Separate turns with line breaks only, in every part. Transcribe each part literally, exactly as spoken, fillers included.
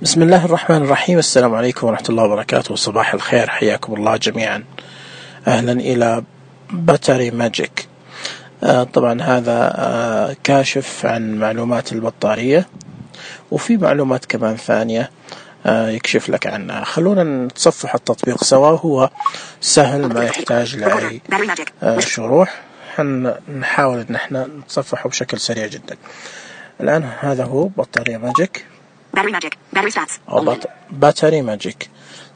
بسم الله الرحمن الرحيم. السلام عليكم ورحمة الله وبركاته. صباح الخير، حياكم الله جميعا. أهلا إلى باتري ماجيك. آه طبعا هذا آه كاشف عن معلومات البطارية، وفي معلومات كمان ثانية آه يكشف لك عنها. خلونا نتصفح التطبيق سوا، هو سهل ما يحتاج لأي آه شروح. نحاول ان احنا نتصفحه بشكل سريع جدا. الآن هذا هو بطارية ماجيك،
باتري ماجيك باتري ستاتس
أو بط... باتري ماجيك.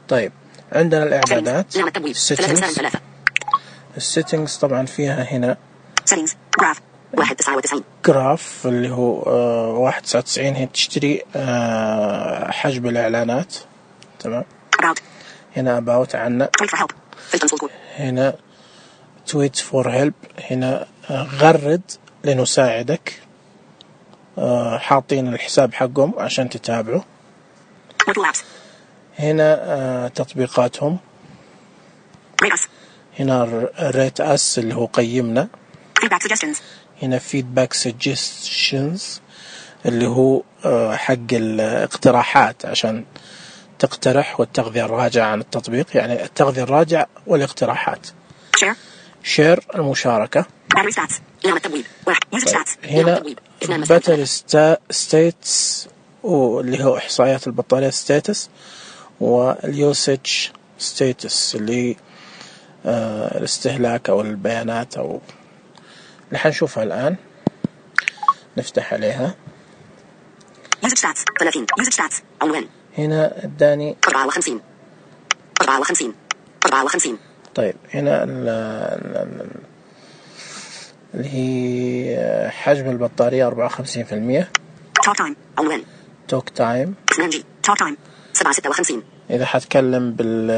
طيب عندنا الإعدادات settings. السيتنجز طبعا فيها هنا
settings جراف واحد تسعة وتسعين
جراف اللي هو آه واحد تسعة وتسعين. هي تشتري آه حجب الإعلانات. تمام.
about
هنا about عنا.
tweet for help filter صوت
هنا tweet for help. هنا آه غرد لنساعدك. آه حاطين الحساب حقهم عشان تتابعوا. هنا آه تطبيقاتهم. هنا ريت أس اللي هو قيمنا.
feedback suggestions.
هنا feedback suggestions اللي هو آه حق الاقتراحات، عشان تقترح والتغذية الراجعة عن التطبيق، يعني التغذية الراجعة والاقتراحات.
share
share المشاركة.
battery stats إعلان التبويب واحد user stats
هنا battery status واللي هو إحصائيات البطارية status، واليوسج status اللي آه الاستهلاك أو البيانات أو اللي حنشوفها الآن. نفتح عليها.
usage stats ثلاثين usage stats عنوان.
هنا اداني
أربعة وخمسين أربعة وخمسين أربعة وخمسين.
طيب هنا اللي هي حجم البطارية أربعة وخمسين بالمية.
talk time عنوان.
talk time
اثنين جي talk time سبعة ستة وخمسين.
إذا حتكلم بال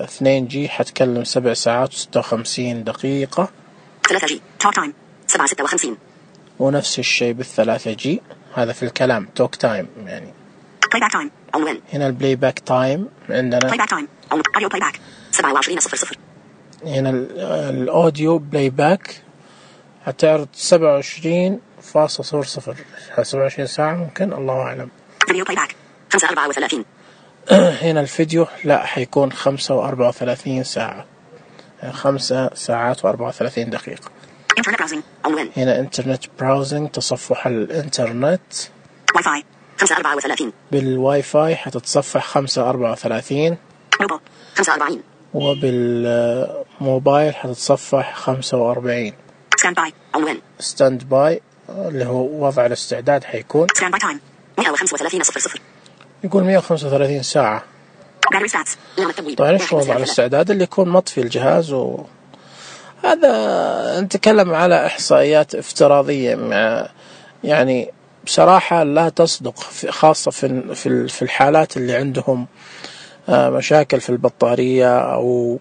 اثنين جي حتكلم سبع ساعات وستة وخمسين دقيقة.
ثلاثة جي talk time سبعة ستة وخمسين.
ونفس الشيء بالثلاثة جي. هذا في الكلام talk time يعني.
playback time عنوان.
هنا البلاي باك تايم عندنا.
playback time عنوان. audio playback سبعة وعشرين صفر صفر.
هنا الأوديو بلاي باك هتعرض سبعة وعشرين فاصلة صفر صفر. سبعة وعشرين ساعة ممكن، الله أعلم.
فيديو playback خمسة أربعة وثلاثين.
هنا الفيديو لا حيكون خمسة وأربعة وثلاثين ساعة، خمسة ساعات وأربعة وثلاثين دقيقة.
internet browsing عنوان.
هنا انترنت براوزنج تصفح الانترنت.
واي فاي خمسة أربعة وثلاثين.
بالواي فاي حتتصفح خمسة أربعة وثلاثين.
موبايل خمسة وأربعين.
وبالموبايل حتتصفح خمسة وأربعين.
stand by عنوان.
stand by اللي هو وضع الاستعداد حيكون.
stand by time مئة وخمسة وثلاثين صفر صفر.
يقول مئة وخمسة وثلاثين ساعة.
battery stats إعلان التبويب.
طيب ايش وضع الاستعداد؟ اللي يكون مطفي الجهاز. و هذا نتكلم على إحصائيات افتراضية، مع يعني بصراحة لا تصدق، خاصة في في في الحالات اللي عندهم مشاكل في البطارية أو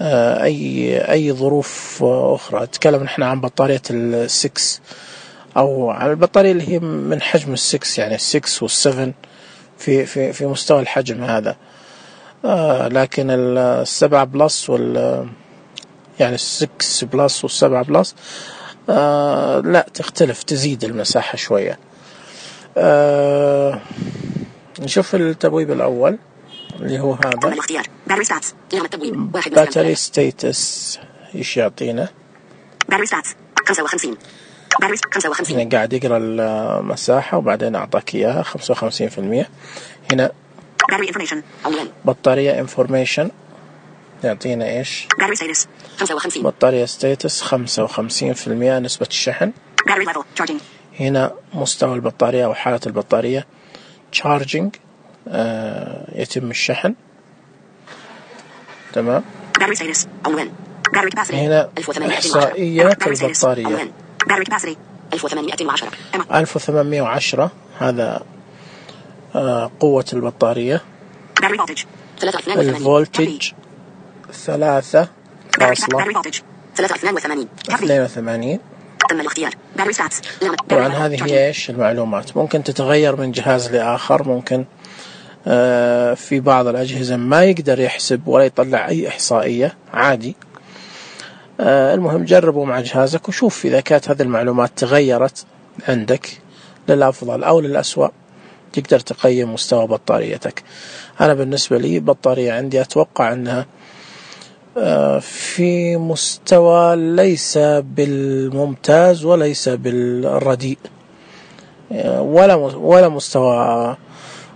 أي أي ظروف أخرى. نتكلم نحن عن بطارية السكس أو عن البطارية اللي هي من حجم السكس، يعني السكس والسفن في في في مستوى الحجم هذا. لكن السبعة بلس وال يعني السكس بلس والسبعة بلس آه لا تختلف، تزيد المساحة شوية. آه نشوف التبويب الأول اللي هو هذا باتري ستيتس. إيش يعطينا؟
باتري ستاتس خمسة وخمسين. باتري خمسة وخمسين.
هنا قاعد يقرأ المساحة وبعدين أعطاك إياها خمسة وخمسين بالمية. هنا بطارية انفورميشن يعطينا إيش؟
باتري ستاتس خمسة وخمسين.
بطارية ستاتس خمسة وخمسين بالمية نسبة الشحن. هنا مستوى البطارية أو حالة البطارية. charging آه يتم الشحن. تمام. هنا إحصائيات البطارية ألف وثمانمئة وعشرة. هذا آه قوة البطارية. الفولتج ثلاثة فاصلة اثنين وثمانين. طبعا هذه هي إيش المعلومات. ممكن تتغير من جهاز لآخر. ممكن آه في بعض الأجهزة ما يقدر يحسب ولا يطلع أي إحصائية عادي. آه المهم جربوا مع جهازك وشوف إذا كانت هذه المعلومات تغيرت عندك للأفضل أو للأسوأ. تقدر تقيم مستوى بطاريتك. أنا بالنسبة لي بطارية عندي أتوقع أنها في مستوى ليس بالممتاز وليس بالرديء، ولا ولا مستوى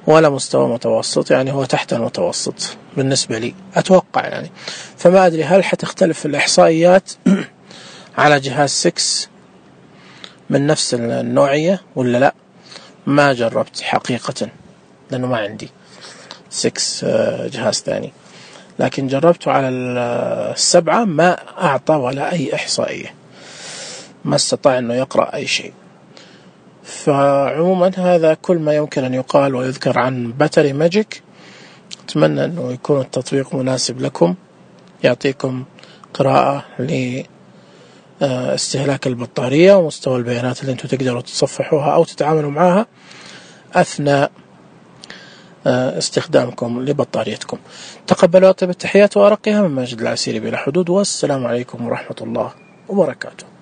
ولا مستوى متوسط، يعني هو تحت المتوسط بالنسبة لي أتوقع يعني. فما أدري هل حتختلف الإحصائيات على جهاز ستة من نفس النوعية ولا لا، ما جربت حقيقة لأنه ما عندي ستة جهاز ثاني، لكن جربته على السبعة ما أعطى ولا أي إحصائية، ما استطاع أنه يقرأ أي شيء. فعموما هذا كل ما يمكن أن يقال ويذكر عن باتري ماجيك. أتمنى أنه يكون التطبيق مناسب لكم، يعطيكم قراءة لاستهلاك البطارية ومستوى البيانات اللي أنتم تقدروا تصفحوها أو تتعاملوا معها أثناء استخدامكم لبطاريتكم. تقبلوا أطيب التحيات وأرقها من ماجد العسيري بلا حدود، والسلام عليكم ورحمة الله وبركاته.